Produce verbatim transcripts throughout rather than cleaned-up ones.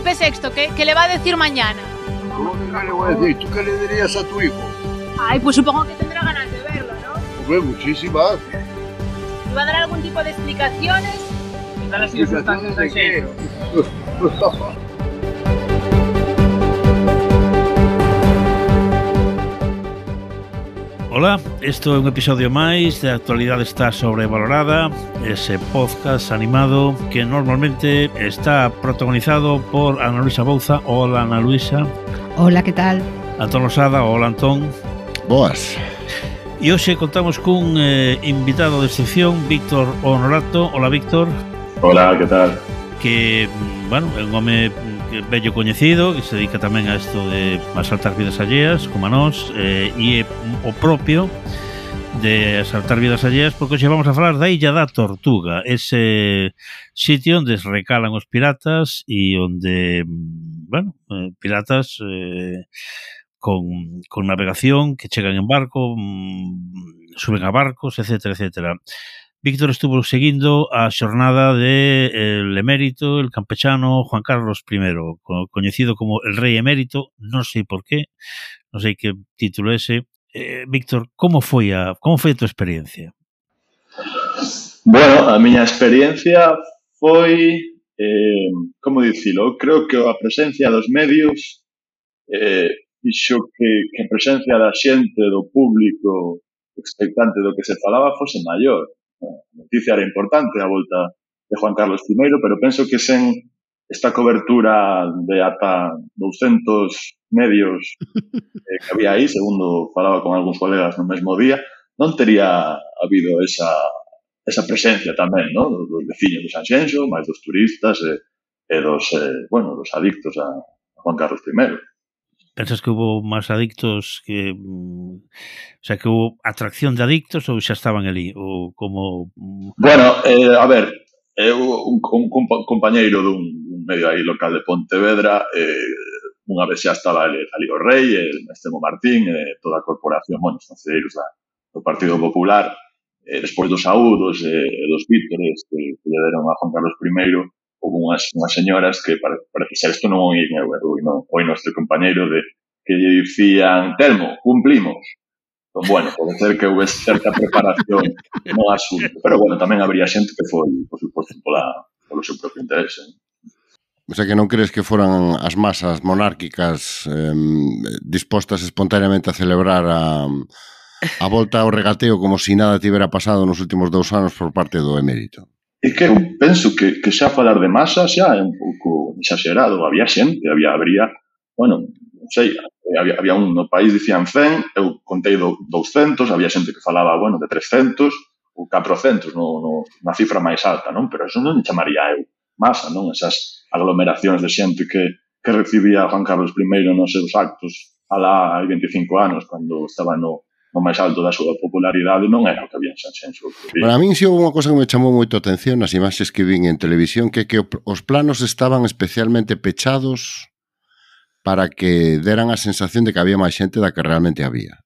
Felipe sexto, ¿qué, qué le va a decir mañana? ¿Cómo que le voy a decir? ¿Tú qué le dirías a tu hijo? Ay, pues supongo que tendrá ganas de verlo, ¿no? Hombre, muchísimas. ¿Y va a dar algún tipo de explicaciones? ¿Qué tal las circunstancias de qué? Ola, isto é un episodio máis de Actualidade está sobrevalorada, ese podcast animado que normalmente está protagonizado por Ana Luisa Bouza. Hola, Ana Luisa. Hola, que tal? Antón Losada. Hola, Antón. Boas. E hoxe contamos cun eh, invitado de excepción, Víctor Honorato. Hola, Víctor. Hola, que tal? Que, bueno, é un home bello coñecido, que se dedica tamén a isto de asaltar vidas alleas, como a nós, eh, e é o propio de asaltar vidas alleas, porque hoxe vamos a falar da Illa da Tortuga, ese sitio onde recalan os piratas e onde, bueno, eh, piratas eh, con, con navegación, que chegan en barco, mm, suben a barcos, etcétera, etcétera. Víctor estuvo seguindo a xornada de el emérito, el campechano Juan Carlos primero, coñecido como el rei emérito, non sei por qué, non sei que título ese. Eh, Víctor, como foi a como foi a tua experiencia? Bueno, a miña experiencia foi, eh, como dicilo, creo que a presencia dos medios eh, fixo que, que a presencia da xente, do público expectante do que se falaba fose maior. A noticia era importante a volta de Juan Carlos primero, pero penso que sen esta cobertura de ata douscentos medios eh, que había aí, segundo falaba con algúns colegas no mesmo día, non tería habido esa, esa presencia tamén, ¿no? Dos veciños de Sanxenxo, máis dos turistas e, e dos, eh, bueno, dos adictos a Juan Carlos primero. Pensas que hubo máis adictos que... O sea, que hubo atracción de adictos ou xa estaban ali? Ou como... Bueno, eh, a ver, eu, un, un, un compañeiro dun, dun medio aí local de Pontevedra, eh, unha vez xa estaba ali, ali o Rei, el Estemo Martín, eh, toda a corporación, bueno, os concelleiros do Partido Popular, eh, despois dos saúdos e eh, dos vítores que, que lle deron a Juan Carlos primero, houve unhas, unhas señoras que para, para que xa isto non o oín eu, eu non, o noso compañeiro de que lle dicían, Telmo, cumplimos. Entón, bueno, pode ser que houve certa preparación no asunto, pero bueno, tamén habría xente que foi, por suposto, pola, polo seu propio interese. O sea, que non crees que foran as masas monárquicas eh, dispostas espontáneamente a celebrar a, a volta ao regateo como se si nada tivera pasado nos últimos dous anos por parte do emérito? E que eu penso que, que xa falar de masa xa é un pouco exagerado. Había xente, había, habría, bueno, non sei, había, había un no país dicían cen, eu contei do, douscentos, había xente que falaba, bueno, de trescentos ou catrocentos, no, no, na cifra máis alta, non? Pero eso non chamaría eu masa, non? Esas aglomeracións de xente que, que recibía Juan Carlos primero nos seus actos alá hai veinticinco anos, cando estaba no o máis alto da súa popularidade, non era o que había en Sanxenxo. Para min si houve unha cosa que me chamou moito a atención nas imaxes que vin en televisión, que que os planos estaban especialmente pechados para que deran a sensación de que había máis xente da que realmente había.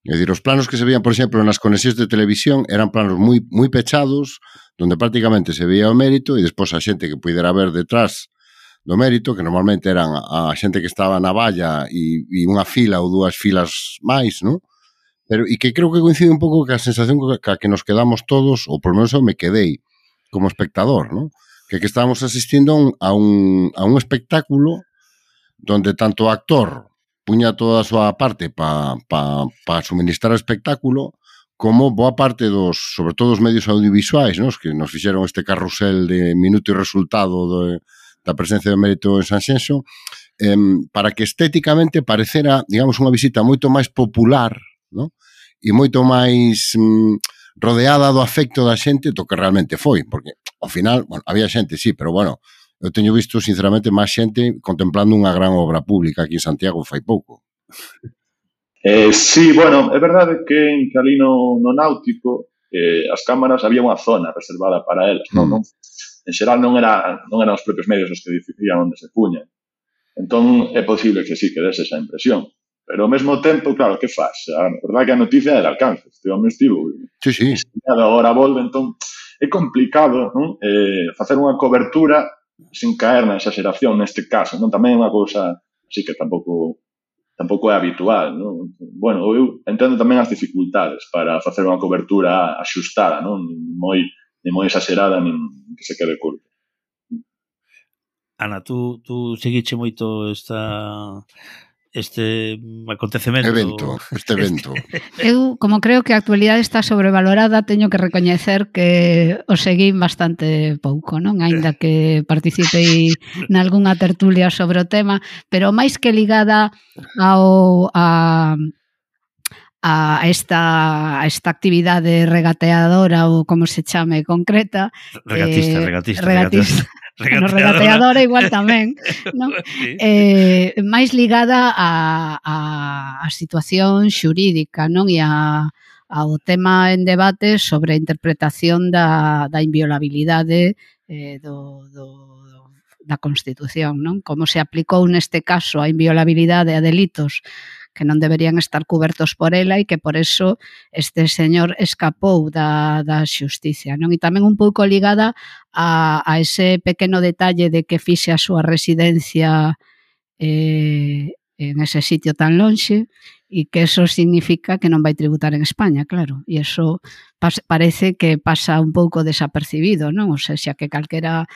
É dicir, os planos que se veían, por exemplo, nas conexións de televisión eran planos moi moi pechados, donde prácticamente se veía o mérito e despois a xente que pudera ver detrás do mérito, que normalmente eran a xente que estaba na valla e, e unha fila ou dúas filas máis, non? Pero, e que creo que coincide un pouco que a sensación que a que nos quedamos todos, ou por menos eu me quedei como espectador, ¿no? Que que estábamos asistindo a un, a un, a un espectáculo donde tanto o actor puña toda a súa parte para pa, pa suministrar o espectáculo, como boa parte dos, sobre todo os medios audiovisuais, ¿no? Que nos fixeron este carrusel de minuto e resultado de, da presencia do mérito en Sanxenxo, eh, para que estéticamente parecera, digamos, unha visita moito máis popular, ¿no? E moito máis mm, rodeada do afecto da xente do que realmente foi, porque ao final, bueno, había xente, sí, pero bueno, eu teño visto sinceramente máis xente contemplando unha gran obra pública aquí en Santiago fai pouco. Eh, sí, bueno, é verdade que en ali no, no náutico eh, as cámaras había unha zona reservada para elas, non? Mm. non en xeral non, era, non eran os propios medios os que decidían onde se puñan. Entón é posible que sí que dese esa impresión. Pero ao mesmo tempo, claro, que faz? A verdade que a noticia é de alcance. Este home estivo. Sí, sí. Agora volve, entón, é complicado, non? Eh, facer unha cobertura sin caer na exageración neste caso, non? Tamén é unha cousa así que tampouco tampouco é habitual, non? Bueno, eu entendo tamén as dificultades para facer unha cobertura axustada, non? Nin moi, nin moi exagerada, nin que se quede curto. Ana, tú, tú seguiche moito esta este acontecemento evento, este evento. Eu, como creo que a actualidade está sobrevalorada, teño que recoñecer que o seguín bastante pouco, non? Aínda que participei nalgunha tertulia sobre o tema, pero máis que ligada ao a a esta, a esta actividade regateadora ou como se chame concreta. Regatista, eh, regatista, regatista. Bueno, regateadora igual tamén, non? Sí. Eh, máis ligada a, a, a situación xurídica, non? E a, ao tema en debate sobre a interpretación da, da inviolabilidade eh, do, do, da Constitución, non? Como se aplicou neste caso a inviolabilidade a delitos que non deberían estar cubertos por ela e que por eso este señor escapou da, da xusticia, non? E tamén un pouco ligada a, a ese pequeno detalle de que fixe a súa residencia eh, en ese sitio tan lonxe e que eso significa que non vai tributar en España, claro, e eso pas, parece que pasa un pouco desapercibido, non? O sea, xa que calquera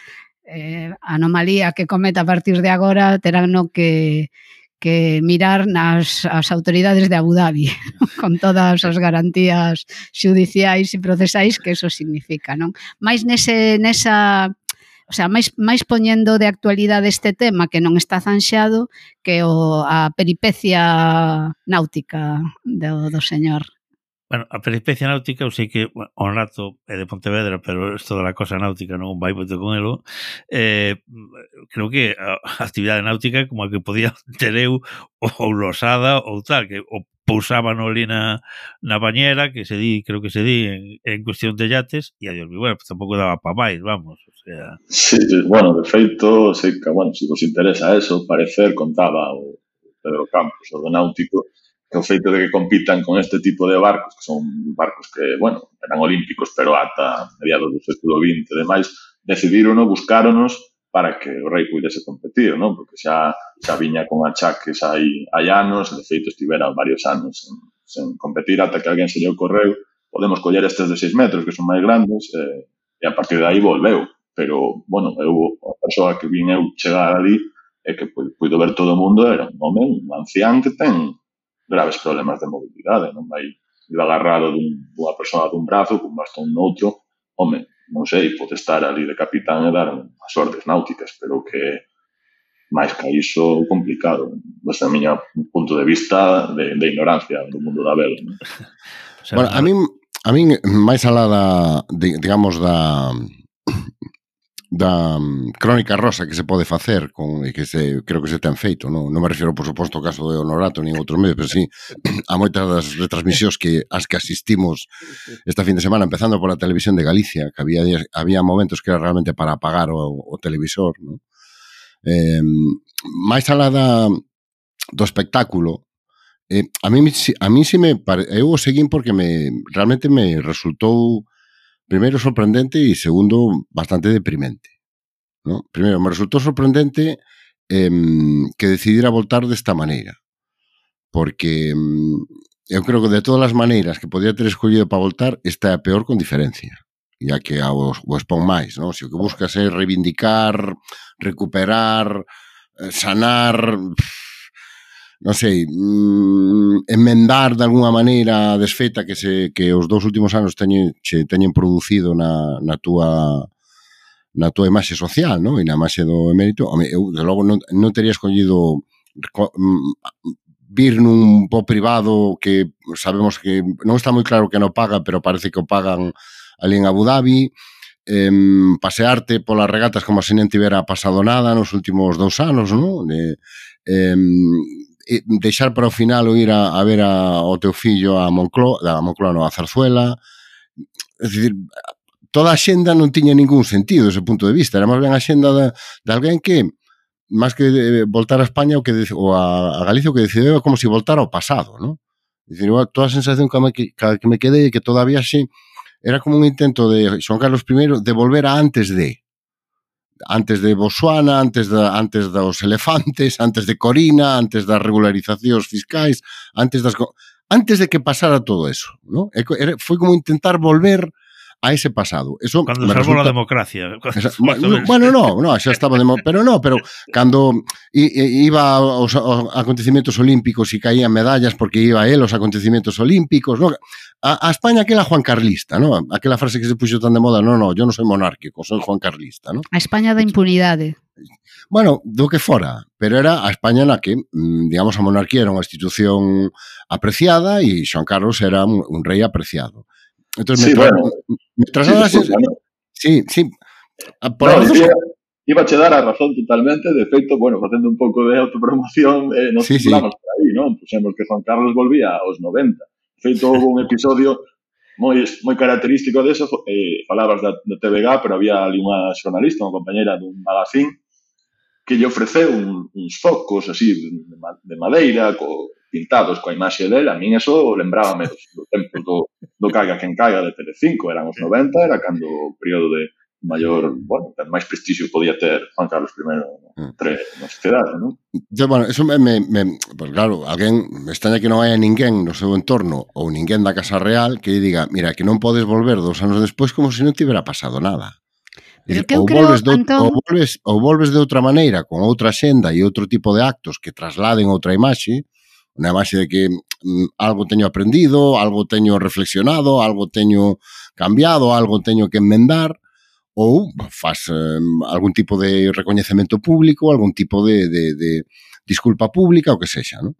eh, anomalía que cometa a partir de agora terán no que que mirar nas as autoridades de Abu Dhabi con todas as garantías xudiciais e procesais que eso significa, non? Mais nese, nesa, o sea, máis, máis poñendo de actualidade este tema que non está zanxado que o, a peripecia náutica do, do señor. Bueno, a peripecia náutica, eu sei que bueno, o rato é de Pontevedra, pero isto da cosa náutica non vai moito con elo. Eh, creo que a actividade náutica como a que podía ter eu ou losada ou tal, que o pousaban ali na, na bañera, que se di, creo que se di en, en cuestión de yates, e a Dios mío, bueno, pues tampouco daba pa máis, vamos, o sea... Sí, bueno, de feito, sei que, bueno, se vos interesa eso, parecer contaba o Pedro Campos, o do náutico, que o feito de que compitan con este tipo de barcos, que son barcos que, bueno, eran olímpicos, pero ata mediados do século vinte e demais, decidirono, buscáronos para que o rei puidese competir, non? Porque xa, xa viña con achaques hai, hai anos, de feito estivera varios anos sen, sen competir, ata que alguén se lle ocorreu, podemos coller estes de seis metros, que son máis grandes, eh, e a partir de aí volveu. Pero, bueno, eu, a persoa que vin eu chegar ali, e que puido ver todo o mundo, era un home, un ancián que ten graves problemas de mobilidade, non vai ir agarrado dun, dunha persona dun brazo, cun bastón noutro, home, non sei, pode estar ali de capitán e dar as ordes náuticas, pero que máis que iso complicado, desde o meu punto de vista de, de ignorancia do mundo da vela. Non? O sea, bueno, a min, a min máis alá da, de, digamos, da... da um, crónica rosa que se pode facer con, e que se, creo que se ten feito, non, non me refiro por suposto ao caso de Honorato nin outros medios, pero sí a moitas das retransmisións que as que asistimos esta fin de semana, empezando por a televisión de Galicia, que había había momentos que era realmente para apagar o, o televisor, non? Eh, máis alá da, do espectáculo, eh, a mí a mí si me pare, eu o seguín porque me realmente me resultou primeiro sorprendente e segundo bastante deprimente, ¿no? Primeiro, me resultou sorprendente eh, que decidira voltar desta maneira, porque eh, eu creo que de todas as maneiras que podía ter escollido para voltar, esta é a peor con diferencia, ya que a o, o expón máis, ¿no? Se o que buscas é reivindicar, recuperar, sanar... non sei, mm, enmendar de alguna maneira a desfeita que se que os dous últimos anos teñen, che teñen producido na, na túa na túa imaxe social, non? E na imaxe do emérito. Home, eu, de logo, non, non teria escollido vir nun po privado que sabemos que non está moi claro que non paga, pero parece que o pagan ali en Abu Dhabi, eh, pasearte polas regatas como se non tivera pasado nada nos últimos dous anos, non? De, eh, deixar para o final o ir a, a ver a, o teu fillo a Moncloa, a Moncloa non, a Zarzuela. É dicir, toda a xenda non tiña ningún sentido ese punto de vista, era máis ben a xenda de, de alguén que máis que voltar a España o que ou a, a Galicia o que decidiu é como se voltara ao pasado, non? É dicir, toda a sensación que me, que, que me quedei que todavía xe era como un intento de Xoán Carlos I de volver a antes de antes de Botswana, antes, da, antes dos elefantes, antes de Corina, antes das regularizacións fiscais, antes das antes de que pasara todo eso, ¿no? Foi como intentar volver a ese pasado. Eso cando salvou resulta... a democracia. Esa, bueno, bueno, no, no, xa estaba demo... pero no, pero cando iba aos acontecimientos olímpicos e caían medallas porque iba él aos acontecimientos olímpicos, no? A, a España aquela Juan Carlista, no? Aquela frase que se puxo tan de moda, no, no, yo non soy monárquico, soy Juan Carlista, no? A España da impunidade. Bueno, do que fora, pero era a España na que, digamos, a monarquía era unha institución apreciada e Xoan Carlos era un, un rei apreciado. Entonces, sí, me, tra bueno, me trasladas... Sí, disculpa, ¿no? sí, sí. Por no, dos... iba, iba a che dar a razón totalmente, de feito, bueno, facendo un pouco de autopromoción, eh, nos sí, titulamos sí. por aí, non? Puxemos que Juan Carlos volvía aos noventa. De feito, houve un episodio moi moi característico deso, eh, falabas da, da T V G, pero había ali unha xornalista, unha compañera dun magazín, que lle ofreceu un, uns focos así de madeira, co, pintados coa imaxe dele. A min eso lembrábame dos, do tempo do, do Caiga quen caiga de Telecinco, eran os noventa, era cando o período de maior, bueno, máis prestixio podía ter Juan Carlos I entre na sociedade, non? Yo, bueno, eso me, me, me pues claro, alguén, me extraña que non haya ninguén no seu entorno ou ninguén da Casa Real que lle diga, mira, que non podes volver dos anos despois como se non tivera pasado nada. Pero que eu ou, creo, volves de, Antón... ou, volves, ou volves de outra maneira, con outra xenda e outro tipo de actos que trasladen outra imaxe, unha imaxe de que mm, algo teño aprendido, algo teño reflexionado, algo teño cambiado, algo teño que enmendar, ou faz eh, algún tipo de recoñecemento público, algún tipo de, de, de disculpa pública, o que sexa, non?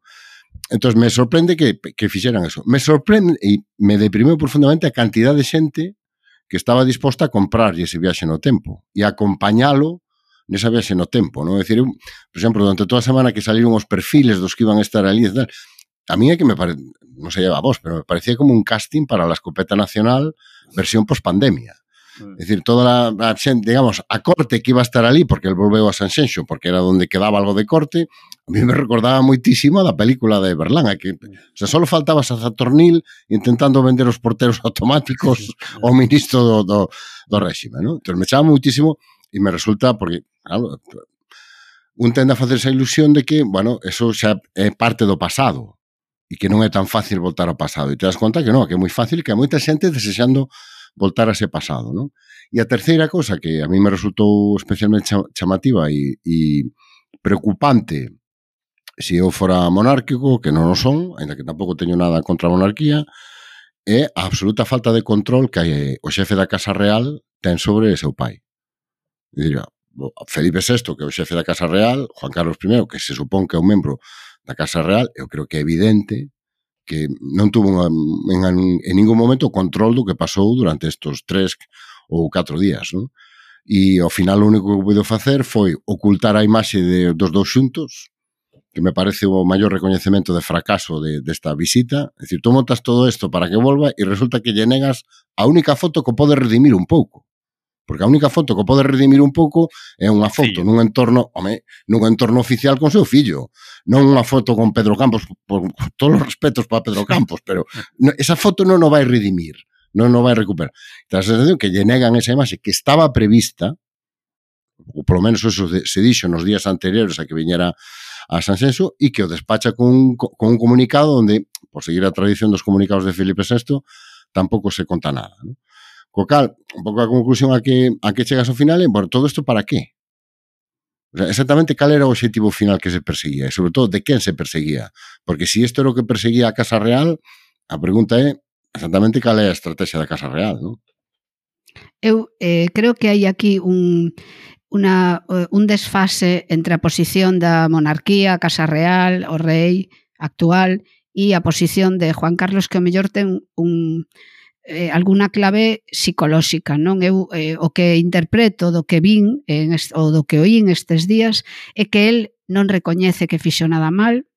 Entón, me sorprende que, que fixeran eso. Me sorprende e me deprimeu profundamente a cantidad de xente que estaba disposta a comprarlle ese viaxe no tempo e a acompañalo nesa viaxe no tempo, non? É dicir, eu, por exemplo, durante toda a semana que saliron os perfiles dos que iban a estar ali e tal, a mí é que me pare... non sei a vos, pero me parecía como un casting para la escopeta nacional versión post-pandemia. É dicir, toda a, a xente, digamos, a corte que iba a estar ali, porque el volveu a Sanxenxo, porque era onde quedaba algo de corte, a mí me recordaba moitísimo da película de Berlán, que, o sea, só faltaba a Zatornil intentando vender os porteros automáticos ao ministro do, do, do réxime, non? Entón, me chama moitísimo e me resulta, porque, claro, un tende a facer esa ilusión de que, bueno, eso xa é parte do pasado e que non é tan fácil voltar ao pasado. E te das conta que non, que é moi fácil, que hai moita xente desexando voltar a ese pasado, non? E a terceira cosa que a mí me resultou especialmente chamativa e, e preocupante se eu fora monárquico, que non o son, ainda que tampouco teño nada contra a monarquía, é a absoluta falta de control que o xefe da Casa Real ten sobre seu pai. E diría, Felipe sexto, que é o xefe da Casa Real, Juan Carlos I, que se supón que é un membro da Casa Real, eu creo que é evidente que non tuvo unha, en, en ningún momento o control do que pasou durante estes tres ou catro días, non? E ao final o único que puido facer foi ocultar a imaxe de, dos dous xuntos, que me parece o maior recoñecemento de fracaso de, desta visita. É dicir, tú montas todo isto para que volva e resulta que lle negas a única foto que pode redimir un pouco. Porque a única foto que pode redimir un pouco é unha foto nun entorno, home, nun entorno oficial con seu fillo, non unha foto con Pedro Campos, por todos os respetos para Pedro Campos, pero no, esa foto non o vai redimir, non o vai recuperar. Ten a sensación que lle negan esa imaxe que estaba prevista, ou polo menos eso se dixo nos días anteriores a que viñera a Sanxenxo, e que o despacha con, con un comunicado onde, por seguir a tradición dos comunicados de Felipe sexto, tampouco se conta nada, non? Co cal, un pouco a conclusión a que, a que chegas ao final é, bueno, todo isto para qué? O sea, exactamente cal era o objetivo final que se perseguía e, sobre todo, de quen se perseguía. Porque se si isto era o que perseguía a Casa Real, a pregunta é exactamente cal é a estrategia da Casa Real, non? Eu eh, creo que hai aquí un, una, un desfase entre a posición da monarquía, a Casa Real, o rei actual, e a posición de Juan Carlos, que o mellor ten un... Eh, alguna clave psicolóxica, non? Eu eh, o que interpreto do que vin en est, ou do que oín estes días é que el non recoñece que fixo nada mal,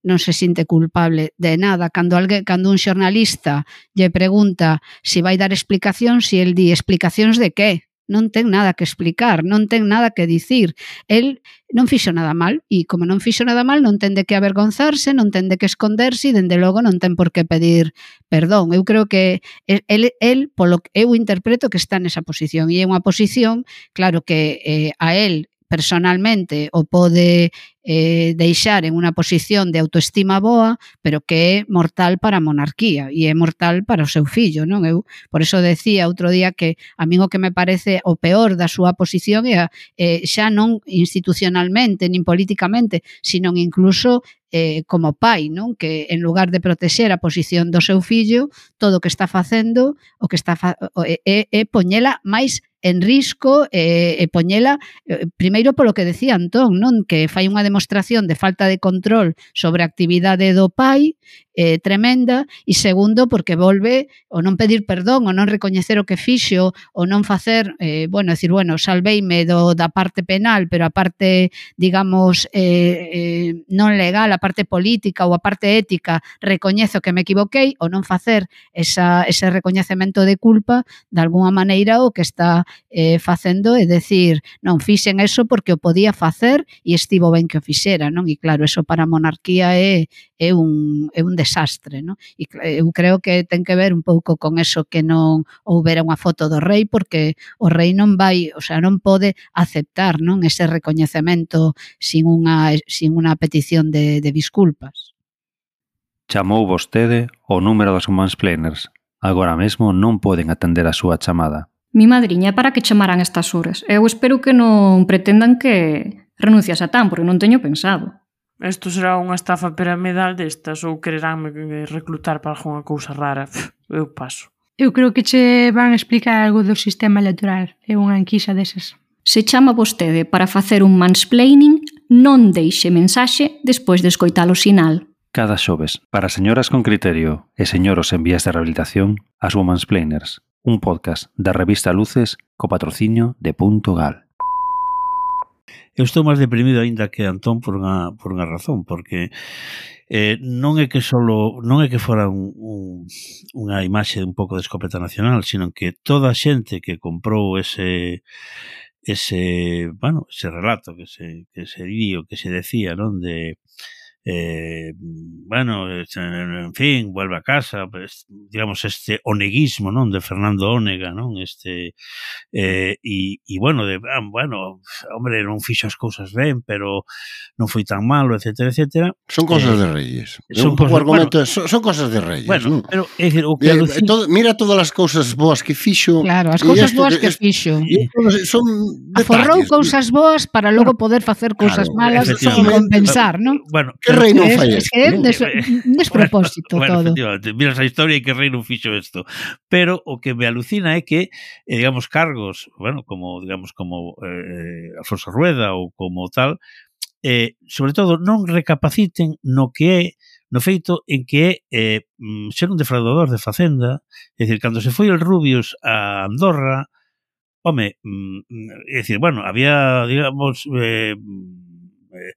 non se sinte culpable de nada. Cando alguén, cando un xornalista lle pregunta se vai dar explicacións, e el di explicacións de que? non ten nada que explicar, non ten nada que dicir. El non fixo nada mal, e como non fixo nada mal non ten de que avergonzarse, non ten de que esconderse e dende logo non ten por que pedir perdón. Eu creo que el, el polo que eu interpreto que está nesa posición, e é unha posición, claro que eh, a el personalmente o pode eh, deixar en unha posición de autoestima boa, pero que é mortal para a monarquía e é mortal para o seu fillo, non? Eu por eso decía outro día que a min o que me parece o peor da súa posición é eh, xa non institucionalmente nin políticamente, sino incluso eh, como pai, non? Que en lugar de protexer a posición do seu fillo, todo o que está facendo o que está fa é, é, é poñela máis en risco e, e poñela eh, primeiro polo que decía Antón, non? Que fai unha demostración de falta de control sobre a actividade do pai eh, tremenda, e segundo porque volve o non pedir perdón, o non recoñecer o que fixo, o non facer, eh, bueno, decir, bueno, salveime do, da parte penal, pero a parte, digamos, eh, eh, non legal, a parte política ou a parte ética, recoñezo que me equivoquei, o non facer esa, ese recoñecemento de culpa, de alguna maneira o que está eh, facendo é decir, non fixen eso porque o podía facer e estivo ben que o fixera, non? E claro, eso para a monarquía é, é, un, é un desastre, non? E eu creo que ten que ver un pouco con eso que non houbera unha foto do rei, porque o rei non vai, o sea, non pode aceptar, non? Ese recoñecemento sin unha, sin unha petición de, de disculpas. Chamou vostede o número dos mansplainers. Agora mesmo non poden atender a súa chamada. Mi madriña, para que chamaran estas horas? Eu espero que non pretendan que renuncie a Satán, porque non teño pensado. Isto será unha estafa piramidal destas ou quereránme reclutar para algunha cousa rara. Pff, eu paso. Eu creo que che van a explicar algo do sistema electoral. É unha enquisa desas. Se chama vostede para facer un mansplaining, non deixe mensaxe despois de escoitar o sinal. Cada xoves, para señoras con criterio e señoros en vías de rehabilitación, as Womansplainers, un podcast da revista Luces co patrocinio de Punto Gal. Eu estou máis deprimido aínda que Antón por unha, por unha razón, porque eh, non é que solo non é que fora un, un, unha imaxe un pouco de escopeta nacional, sino que toda a xente que comprou ese ese, bueno, ese relato que se que se di o que se decía, non, de Eh, bueno, en fin, vuelve a casa, pues, digamos, este oneguismo, non, de Fernando Ónega, non, este eh, e, e bueno, de, ah, bueno, hombre, non fixo as cousas ben, pero non foi tan malo, etcétera, etcétera. Son cosas eh, de reyes. Son un pouco cosas, argumento, bueno, son, son cosas de reyes. Bueno, ¿no? pero é dicir, o que eh, alucina... todo, mira todas as cousas boas que fixo. Claro, as cousas boas que, que fixo. Son aforrou detalles, cousas boas para logo poder facer cousas claro, malas e compensar, non? Bueno, que rei non fai isto? É un des, despropósito bueno, todo. Bueno, miras a historia e que rei non fixo isto. Pero o que me alucina é que, eh, digamos, cargos, bueno, como, digamos, como eh, Alfonso Rueda ou como tal, eh, sobre todo non recapaciten no que é, no feito en que é eh, ser un defraudador de Facenda, é dicir, cando se foi el Rubius a Andorra, home, é dicir, bueno, había, digamos, eh, eh,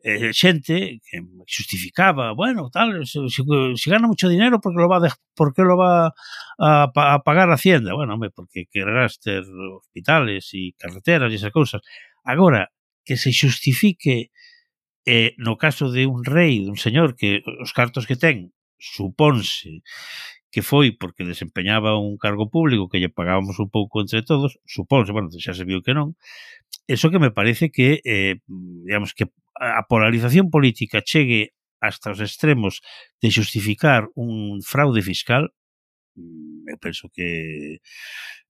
Eh, xente que justificaba, bueno, tal, se, se, se gana mucho dinero porque lo va a, porque lo va a, a pagar Hacienda. Bueno, hombre, porque querrás ter hospitales e carreteras e esas cousas. Agora, que se justifique eh, no caso de un rei, de un señor que os cartos que ten, supónse que foi porque desempeñaba un cargo público que lle pagábamos un pouco entre todos, supónse, bueno, xa se viu que non. Eso que me parece que, eh, digamos, que a polarización política chegue hasta os extremos de justificar un fraude fiscal, eu penso que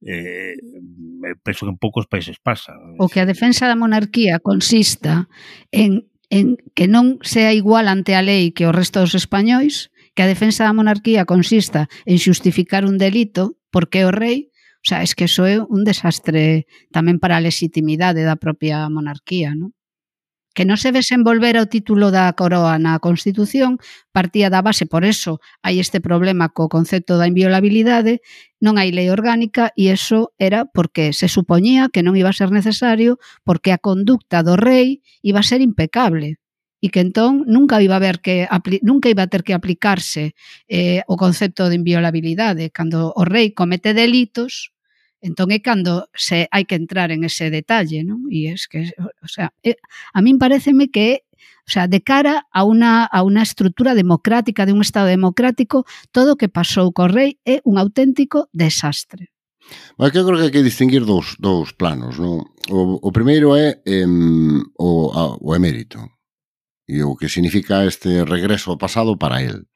eh, eu penso que en poucos países pasa. O que a defensa da monarquía consista en, en que non sea igual ante a lei que o resto dos españois, que a defensa da monarquía consista en xustificar un delito porque o rei. O sea, es que eso é un desastre tamén para a legitimidade da propia monarquía, non? Que non se desenvolvera o título da coroa na Constitución partía da base, por eso hai este problema co concepto da inviolabilidade, non hai lei orgánica e eso era porque se supoñía que non iba a ser necesario porque a conducta do rei iba a ser impecable e que entón nunca iba a haber que nunca iba a ter que aplicarse eh, o concepto de inviolabilidade. Cando o rei comete delitos, Entón é cando se hai que entrar en ese detalle, non? E es que, o sea, é, a min pareceme que, o sea, de cara a unha, a unha estrutura democrática de un Estado democrático, todo o que pasou co rei é un auténtico desastre. Bueno, que eu creo que hai que distinguir dous, dous planos, non? O, o primeiro é eh, o, a, o emérito, e o que significa este regreso ao pasado para el.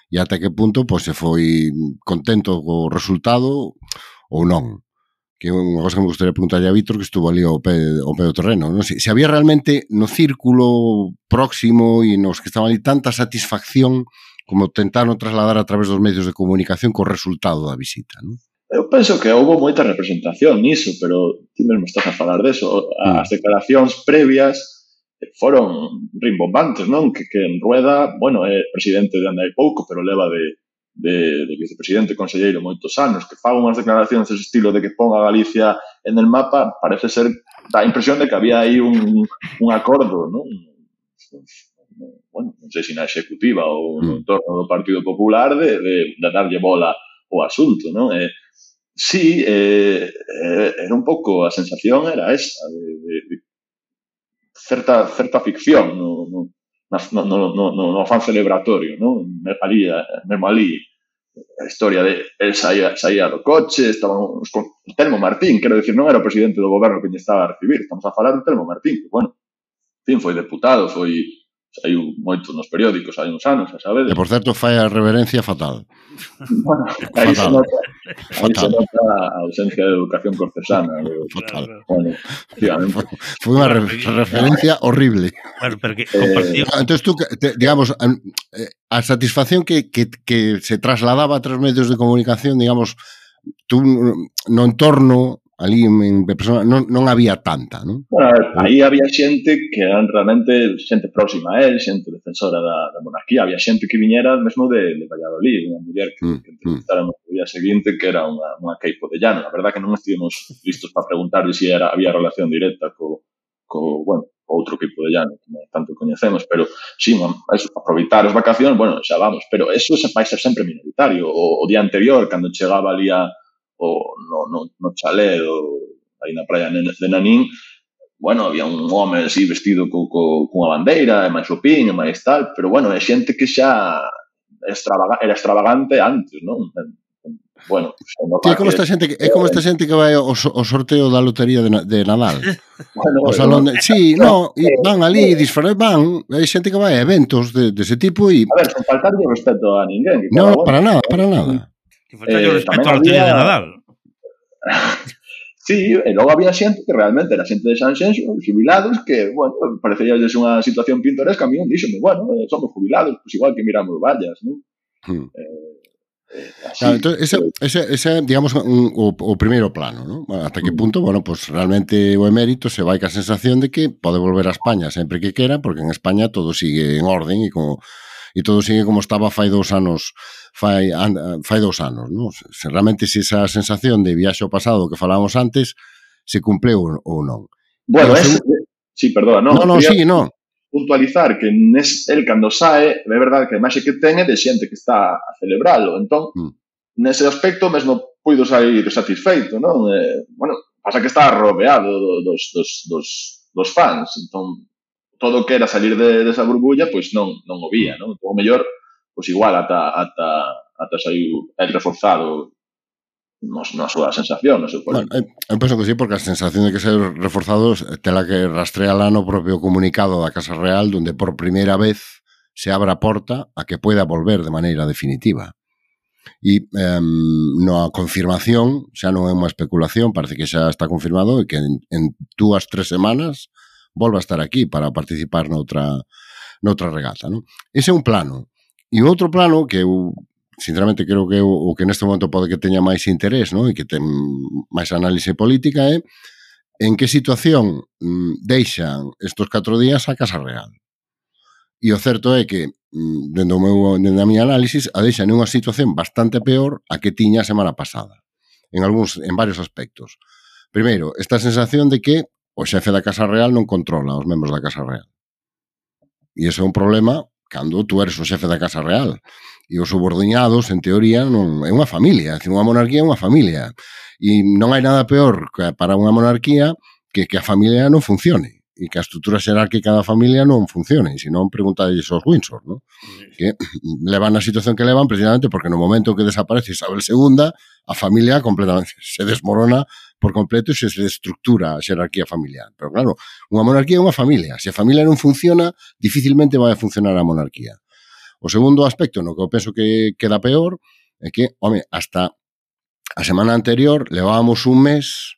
E ata que punto pois, se foi contento co resultado ou non. Que é unha cosa que me gustaría preguntarlle a Víctor, que estuvo ali ao pé, ao pé do terreno, non? Se, se había realmente no círculo próximo e nos que estaban ali tanta satisfacción como tentaron trasladar a través dos medios de comunicación co resultado da visita, non? Eu penso que houve moita representación niso, pero ti mesmo estás a falar deso. As declaracións previas foron rimbombantes, non? Que, que en Rueda, bueno, é presidente de anda hai pouco, pero leva de, de, de vicepresidente conselleiro moitos anos, que faga unhas declaracións dese estilo de que ponga a Galicia en el mapa, parece ser, dá a impresión de que había aí un, un acordo, non? Bueno, non sei se na executiva ou no entorno do Partido Popular de, de, de darlle bola ao asunto, non? E, sí, eh, era un pouco, a sensación era esa, de, de, de certa, certa ficción no, no, no, no, no, no afán celebratorio, ¿no? Ali, mesmo ali, a historia de él saía, saía do coche, estaban con Telmo Martín, quero decir, non era o presidente do goberno que lle estaba a recibir, estamos a falar de Telmo Martín, que, bueno, en fin, foi deputado, foi saiu moito nos periódicos hai uns anos, xa sabedes. E, por certo, fai a reverencia fatal. Bueno, aí se nota, aí se nota a ausencia de educación cortesana. Fatal. Bueno, efectivamente. Foi unha re referencia horrible. Bueno, pero que compartió... Eh, entón, tú, te, digamos, a satisfacción que, que, que se trasladaba a tres medios de comunicación, digamos, tú no entorno ali en persona non, non había tanta, non? Bueno, aí había xente que eran realmente xente próxima a él, xente defensora da, da monarquía, había xente que viñera mesmo de, de Valladolid, unha muller que, mm, que entrevistáramos o día seguinte que era unha, unha Queipo de Llano. A verdad que non estivemos listos para preguntarle se si era, había relación directa co, co bueno, outro Queipo de Llano, como tanto coñecemos, pero sí, eso, aproveitar as vacacións, bueno, xa vamos, pero eso vai ser sempre minoritario. O, o día anterior, cando chegaba ali a o no, no, no chalé do, aí na praia de Nanín, bueno, había un home así vestido co, co, cunha bandeira, e máis o piño, e máis tal, pero bueno, é xente que xa extravaga, era extravagante antes, non? Bueno, pues, é como esta xente que é como esta xente que vai ao, ao sorteo da lotería de, de Nadal. Bueno, o salón de, sí, no, e van ali disfrutar, van, hai xente que vai a eventos de, de ese tipo e a ver, sen faltarlle respeto a ninguén. No, bueno. para nada, para nada. Que falta yo respecto a lotería de Nadal. Sí, e logo había xente que realmente era xente de Sanxenxo, jubilados, que, bueno, parecía unha situación pintoresca. A mí un díxome, bueno, somos jubilados, pues igual que miramos vallas, non? Hmm. Eh, eh, así, claro, entonces, ese, ese, ese, digamos, un, o, o primeiro plano, non? Hasta que punto, bueno, pues realmente o emérito se vai ca sensación de que pode volver a España sempre que quera, porque en España todo sigue en orden e como... e todo sigue como estaba fai dous anos fai, fai dous anos, non? Se realmente se esa sensación de viaxe ao pasado que falábamos antes se cumpleu ou non. Bueno, es, se... sí, perdona, non. No, no, sí, no. Puntualizar que nes, el cando sae, é verdade que a imaxe que ten é de xente que está a celebralo, entón, mm. nese aspecto mesmo puido sair satisfeito, non? Eh, bueno, pasa que está rodeado dos, dos, dos, dos fans, entón, todo o que era salir de, de esa burbulla, pois non, non o vía, non? O mellor, pois igual ata, ata, ata saiu el reforzado nos, na súa sensación, no seu bueno, eu penso que sí, porque a sensación de que ser reforzado tela que rastreala no propio comunicado da Casa Real, donde por primeira vez se abre a porta a que pueda volver de maneira definitiva. E eh, na confirmación, xa non é unha especulación, parece que xa está confirmado e que en, en dúas, tres semanas volva a estar aquí para participar noutra, noutra regata, non? Ese é un plano. E outro plano que eu, sinceramente, creo que é o que neste momento pode que teña máis interés, non? E que ten máis análise política é en que situación mm, deixan estos catro días a Casa Real. E o certo é que, dentro, meu, dentro da miña análisis, a deixan en unha situación bastante peor a que tiña a semana pasada. En algúns, en varios aspectos. Primeiro, esta sensación de que o xefe da Casa Real non controla os membros da Casa Real. E iso é un problema cando tú eres o xefe da Casa Real. E os subordinados, en teoría, non é unha familia. É dicir, unha monarquía é unha familia. E non hai nada peor para unha monarquía que que a familia non funcione e que a estrutura xerárquica da familia non funcione, se non preguntadelles aos Windsor, ¿no? Que levan a situación que levan precisamente porque no momento que desaparece Isabel segunda, a familia completamente se desmorona por completo e se destructura a xerarquía familiar. Pero claro, unha monarquía é unha familia. Se a familia non funciona, dificilmente vai a funcionar a monarquía. O segundo aspecto no que eu penso que queda peor é que, home, hasta a semana anterior levábamos un mes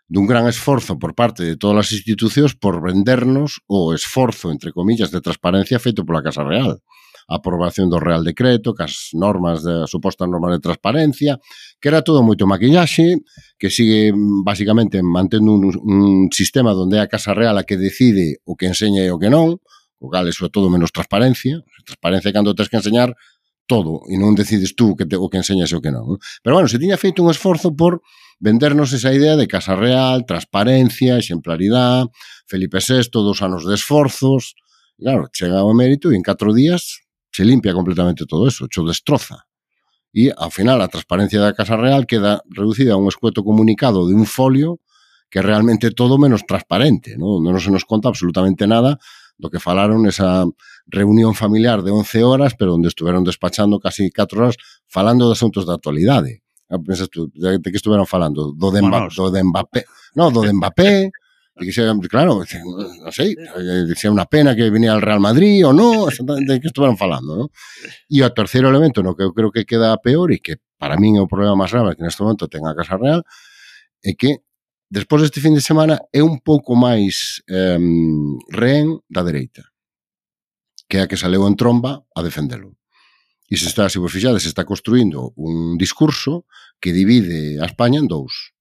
dun gran esforzo por parte de todas as institucións por vendernos o esforzo, entre comillas, de transparencia feito pola Casa Real. A aprobación do Real Decreto, que as normas, de, supostas normas de transparencia, que era todo moito maquillaxe, que sigue basicamente mantendo un, un sistema onde é a Casa Real a que decide o que enseña e o que non, o cal é sobre todo menos transparencia. Transparencia é cando tens que enseñar todo e non decides tú que te, o que enseñas e o que non. Pero bueno, se tiña feito un esforzo por vendernos esa idea de Casa Real, transparencia, exemplaridade, Felipe sexto, dos anos de esforzos. E claro, chega o emérito e en catro días se limpia completamente todo eso, cho destroza. E, ao final, a transparencia da Casa Real queda reducida a un escueto comunicado de un folio que é realmente todo menos transparente, non, non se nos conta absolutamente nada do que falaron nesa reunión familiar de once horas, pero onde estuveron despachando casi catro horas falando de asuntos de actualidade. Pensas tú, de, de que estuveron falando? Do de, Mba, do de Mbappé. No, do de Mbappé. De que sea, claro, non sei, se é unha pena que venía al Real Madrid ou non, de que estuveron falando, non? E o terceiro elemento no que eu creo que queda peor e que para min é o problema máis grave que neste momento ten a Casa Real é que despois deste fin de semana é un pouco máis eh, rehén da dereita, que é a que saleu en tromba a defendelo. E se está, se vos fixades, se está construindo un discurso que divide a España en dous.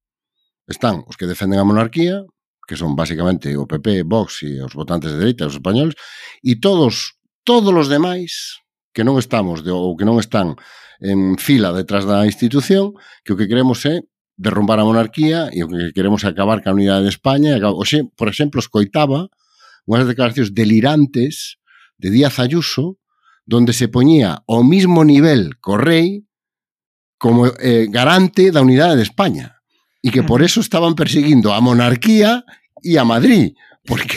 Están os que defenden a monarquía, que son basicamente o P P, Vox e os votantes de dereita, os españoles, e todos, todos os demais que non estamos, de, ou que non están en fila detrás da institución, que o que queremos é derrumbar a monarquía e o que queremos é acabar ca unidade de España. Oxe, por exemplo, escoitaba unhas declaracións delirantes de Díaz Ayuso, donde se poñía ao mismo nivel co rei como eh, garante da unidade de España e que por eso estaban perseguindo a monarquía e a Madrid, porque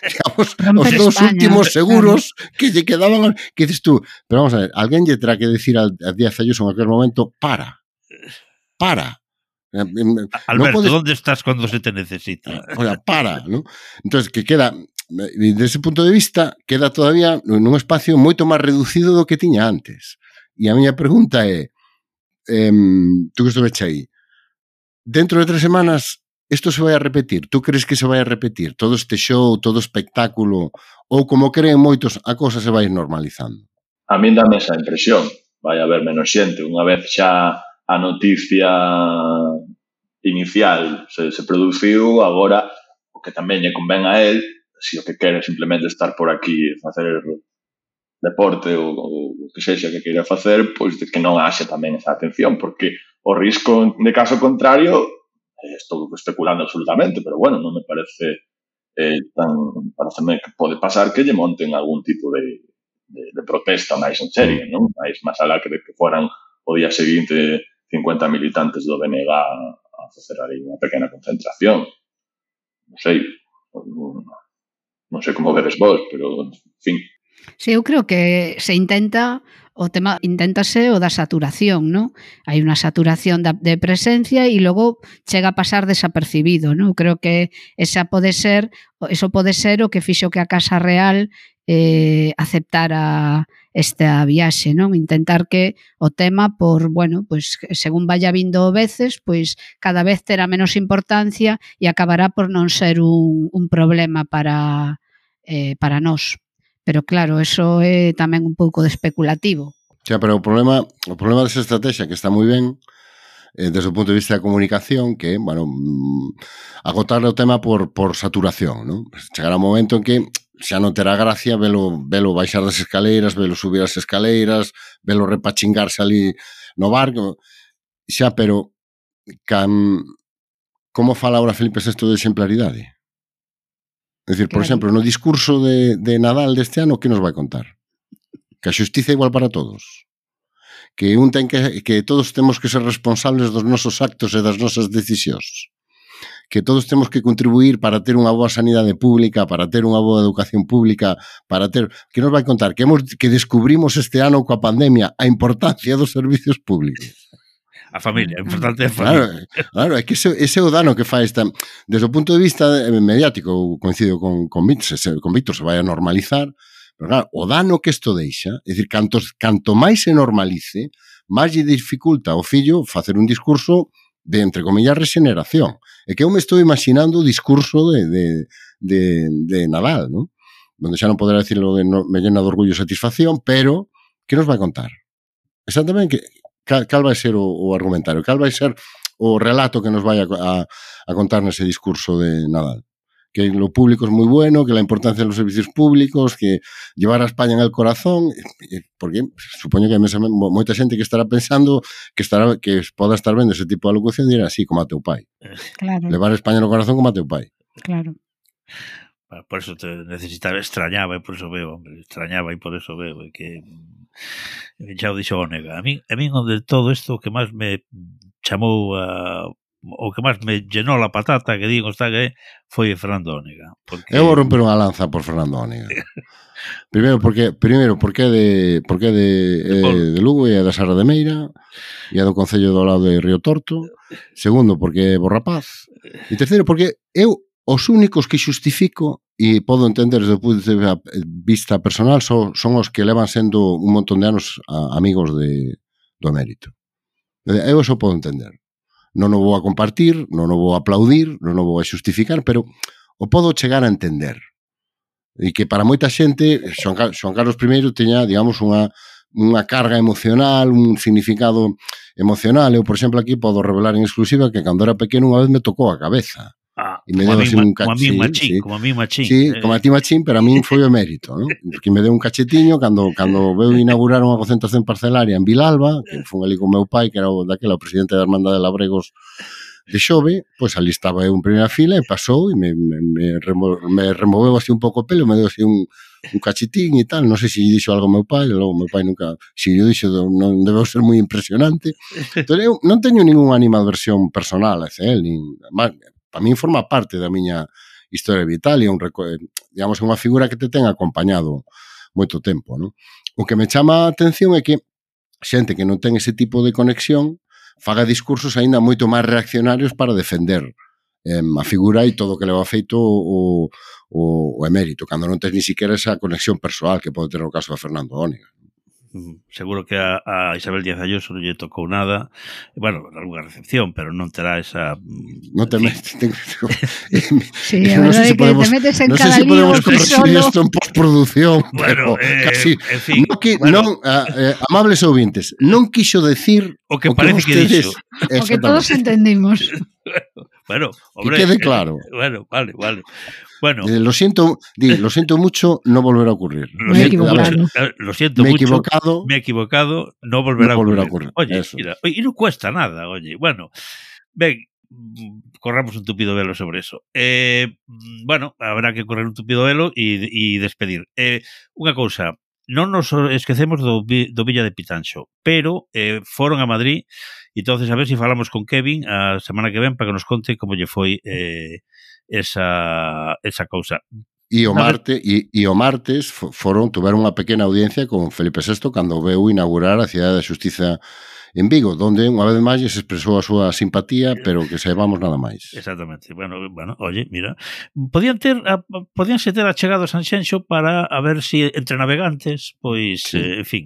digamos, os dos últimos seguros que lle quedaban, que dices tú, pero vamos a ver, alguén lle terá que decir a Díaz Ayuso en aquel momento, para, para. Alberto, no podes... ¿dónde estás cuando se te necesita? O sea, para, ¿no? Entonces, que queda... Desde ese punto de vista, queda todavía nun espacio moito máis reducido do que tiña antes. E a miña pregunta é, eh, tú que estuveche aí, dentro de tres semanas, isto se vai a repetir? Tú crees que se vai a repetir? Todo este show, todo espectáculo, ou como creen moitos, a cosa se vai normalizando? A min dame esa impresión. Vai haber menos xente. Unha vez xa a noticia inicial se, se produciu, agora o que tamén lle convén a él, se o que quere simplemente estar por aquí e facer deporte ou, ou o que sexa que queira facer, pois de que non haxe tamén esa atención, porque o risco de caso contrario, eh, estou especulando absolutamente, pero bueno, non me parece eh, tan, pareceme que pode pasar que lle monten algún tipo de, de, de protesta máis en serio, non? Máis máis alá que de que foran o día seguinte cincuenta militantes do B N G a facer aí unha pequena concentración. Non sei, non, non sei como vedes vos, pero, en fin. Sí, eu creo que se intenta o tema, inténtase o da saturación, ¿no? Hai unha saturación da, de presencia e logo chega a pasar desapercibido, ¿no? Creo que esa pode ser, eso pode ser o que fixo que a Casa Real eh, aceptara esta viaxe, non? Intentar que o tema, por, bueno, pues según vaya vindo veces, pois cada vez terá menos importancia e acabará por non ser un, un problema para, eh, para nós. Pero claro, eso é tamén un pouco de especulativo. Xa, pero o problema, o problema desa estrategia que está moi ben eh, desde o punto de vista da comunicación, que, bueno, agotar o tema por, por saturación, non? Chegará un momento en que xa non terá gracia velo, velo baixar das escaleiras, velo subir as escaleiras, velo repachingarse ali no barco, xa, pero can, como fala ahora Felipe sexto de exemplaridade? É dicir, por claro. exemplo, no discurso de, de Nadal deste ano, que nos vai contar? Que a xustiza é igual para todos. que un ten que, que todos temos que ser responsables dos nosos actos e das nosas decisións. Que todos temos que contribuir para ter unha boa sanidade pública, para ter unha boa educación pública, para ter... Que nos vai contar? Que, hemos, que descubrimos este ano coa pandemia a importancia dos servicios públicos. A familia, é importante a familia. Claro, claro, é que ese, ese é o dano que fai esta... Desde o punto de vista mediático, coincido con, con, Víctor, se, con Víctor, se vai a normalizar, pero claro, o dano que isto deixa, é dicir, cantos, canto máis se normalice, máis lle dificulta ao fillo facer un discurso de, entre comillas, regeneración. É que eu me estou imaginando o discurso de, de, de, de Nadal, ¿no? Donde xa non poderá decirlo de no, me llena de orgullo e satisfacción, pero que nos vai contar? Exactamente, que, cal, cal vai ser o, o argumentario, cal vai ser o relato que nos vai a, a, a contar nese discurso de Nadal. Que lo público es muy bueno, que la importancia de los servicios públicos, que llevar a España en el corazón, porque supoño que hay moita xente que estará pensando que estará que poda estar vendo ese tipo de alocución e dirá así, como a teu pai. Claro. Levar a España no corazón como a teu pai. Claro. Por eso te necesitaba, extrañaba, e por eso veo, hombre, extrañaba e por eso veo, e que xa o dixo Ónega. A mí, a mí onde todo isto que máis me chamou a... o que máis me llenou la patata, que digo, está que foi Fernando Ónega. Porque... Eu vou romper unha lanza por Fernando Ónega. Primeiro, porque primeiro porque de porque de, eh, de Lugo e da Serra de Meira e do Concello do lado de Río Torto. Segundo, porque é bo rapaz. E terceiro, porque eu os únicos que xustifico e podo entender desde o punto de vista personal son, son os que levan sendo un montón de anos a, amigos de, do emérito. Eu eso podo entender. Non o vou a compartir, non o vou a aplaudir, non o vou a xustificar, pero o podo chegar a entender. E que para moita xente, Xoan Carlos I teña, digamos, unha, unha carga emocional, un significado emocional. Eu, por exemplo, aquí podo revelar en exclusiva que cando era pequeno unha vez me tocou a cabeza. Ah, e me deu así un cachín, como a mí machín, sí, como a mí machín. Sí, eh. como a ti machín, pero a mí foi o emérito, ¿no? Que me deu un cachetiño cando cando veu inaugurar unha concentración parcelaria en Vilalba, que foi ali con meu pai, que era o daquela o presidente da Hermandade de Labregos de Xove, pois ali estaba eu en primeira fila e pasou e me, me, me, remo, me removeu así un pouco o pelo, me deu así un, un cachetín e tal, non sei se lle dixo algo ao meu pai, logo meu pai nunca, se lle dixo non debeu ser moi impresionante. Entón eu non teño ninguna animadversión personal hacia él, nin, para min forma parte da miña historia vital e un, digamos, unha figura que te ten acompañado moito tempo, non? O que me chama a atención é que xente que non ten ese tipo de conexión faga discursos aínda moito máis reaccionarios para defender eh, a figura e todo o que leva feito o, o, o emérito, cando non tens ni siquiera esa conexión persoal que pode ter o caso de Fernando Ónega. Seguro que a, a Isabel Díaz Ayuso non lle tocou nada, bueno, algunha recepción, pero non terá esa... Non te metes... Sí, a verdade é que te metes en cada lío non sei se podemos corregir isto en postproducción, bueno, pero eh, casi... En fin, non, que, bueno. non eh, amables ouvintes, non quixo decir o que o parece que, que ustedes, dixo. O que todos entendimos. Bueno, hombre... Que quede claro. Eh, bueno, vale, vale. Bueno, eh, lo siento, di, lo siento mucho, no volverá a ocurrir. Lo me he siento, equivocado. mucho, lo siento me he mucho. Equivocado, me he equivocado. No volverá, no volverá a, ocurrir. a ocurrir. Oye, Eso. mira, y no cuesta nada, oye. Bueno, ven, corramos un tupido velo sobre eso. Eh, bueno, habrá que correr un tupido velo y, y despedir. Eh, unha cousa, non nos esquecemos do, do Villa de Pitanxo, pero eh, foron a Madrid e entonces a ver se si falamos con Kevin a semana que ven para que nos conte como lle foi eh, esa, esa cousa. E o marte e, e o martes foron tuveron unha pequena audiencia con Felipe sexto cando veu inaugurar a Cidade da Xustiza en Vigo, donde unha vez máis se expresou a súa simpatía, pero que saibamos nada máis. Exactamente. Bueno, bueno, oye, mira, podían ter a, podían ser achegado a Sanxenxo para a ver si entre navegantes, pois, sí. eh, en fin.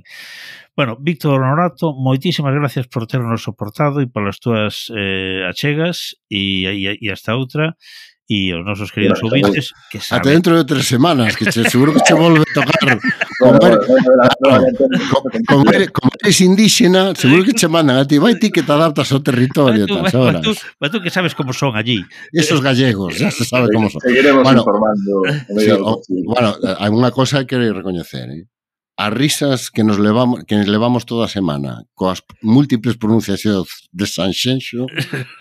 Bueno, Víctor Honorato, moitísimas gracias por ternos soportado e polas túas eh, achegas e, e, e hasta outra. E os nosos queridos bueno, ouvintes que saben. Até dentro de tres semanas, que che, seguro que che volve a tocar como eres, como eres indígena, seguro que che mandan a ti, vai ti que te adaptas ao territorio, tú, tas horas. Tú, tú que sabes como son allí. Esos gallegos, ya se sabe como son. Seguiremos bueno, informando. Sí, o, bueno, hai unha cosa que recoñecer, eh? as risas que nos levamos que nos levamos toda a semana coas múltiples pronunciacións de Sanxenxo,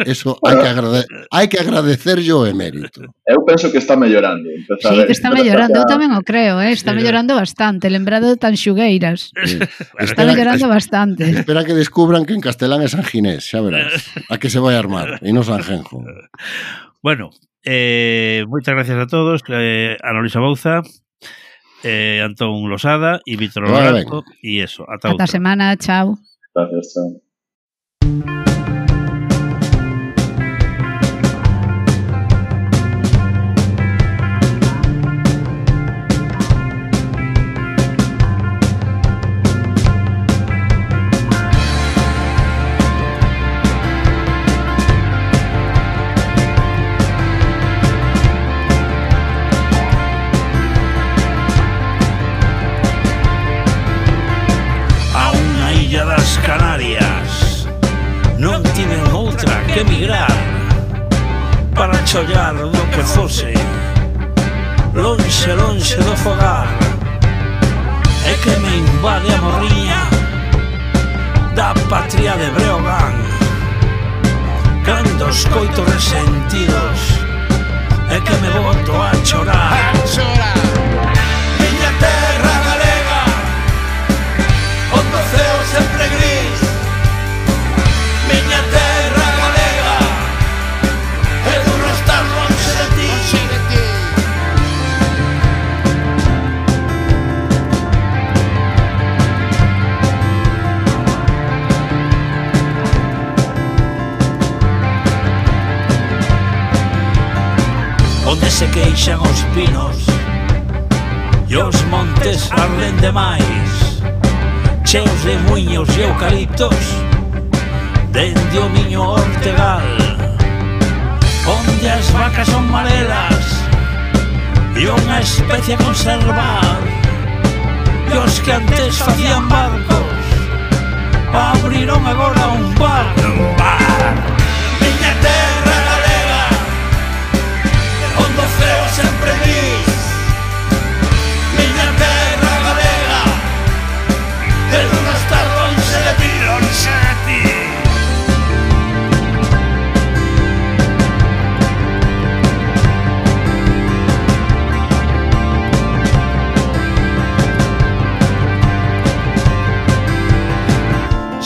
eso hai que agrade, hai que agradecerlle o emérito. Eu penso que está mellorando. Sí, que está mellorando, eu tamén o creo, eh? Está mellorando bastante, lembrado de tan xugueiras. Sí. Está mellorando bastante. Espera que descubran que en castelán é San Ginés, xa verás. A que se vai armar, e non San Genjo. Bueno, eh, moitas gracias a todos, eh, Ana Luisa Bouza, Eh, Antón Losada y Víctor Lorenzo y eso, ata outra semana, chao. Gracias, chao. Canarias non tiven outra que emigrar para chollar do que fose lonxe, lonxe do fogar, e que me invade a morriña da patria de Breogán cando escoito resentidos e que me boto a chorar, a chorar. Miña terra galega onde o ceo sempre gris, miña terra galega é duro estar lonxe de ti. Onde se queixan os pinos e os montes arden demais, cheos de muiños e eucaliptos dende o miño Ortegal, onde as vacas son marelas e unha especie a conservar, e os que antes facían barcos abriron agora un bar, un bar. Miña terra galega onde o ceo sempre gris, miña terra galega é duro estar lonxe de ti, lonxe de ti.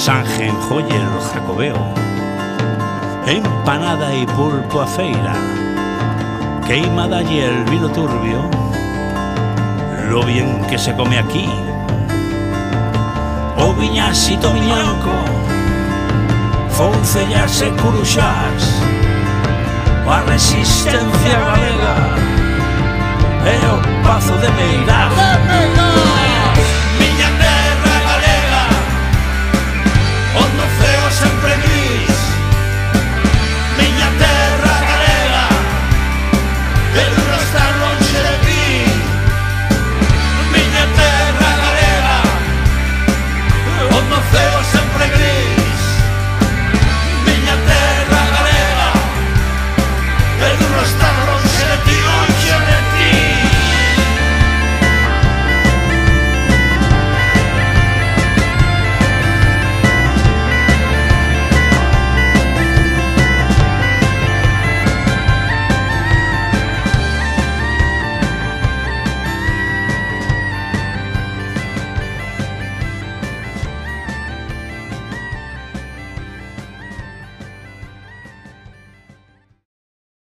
San Genjo y el Jacobeo, empanada y pulpo a feira, queimada y el vino turbio, lo bien que se come aquí. O viñasito miñanco, foncellas e curuxás, a resistencia galega e o pazo de Meirás.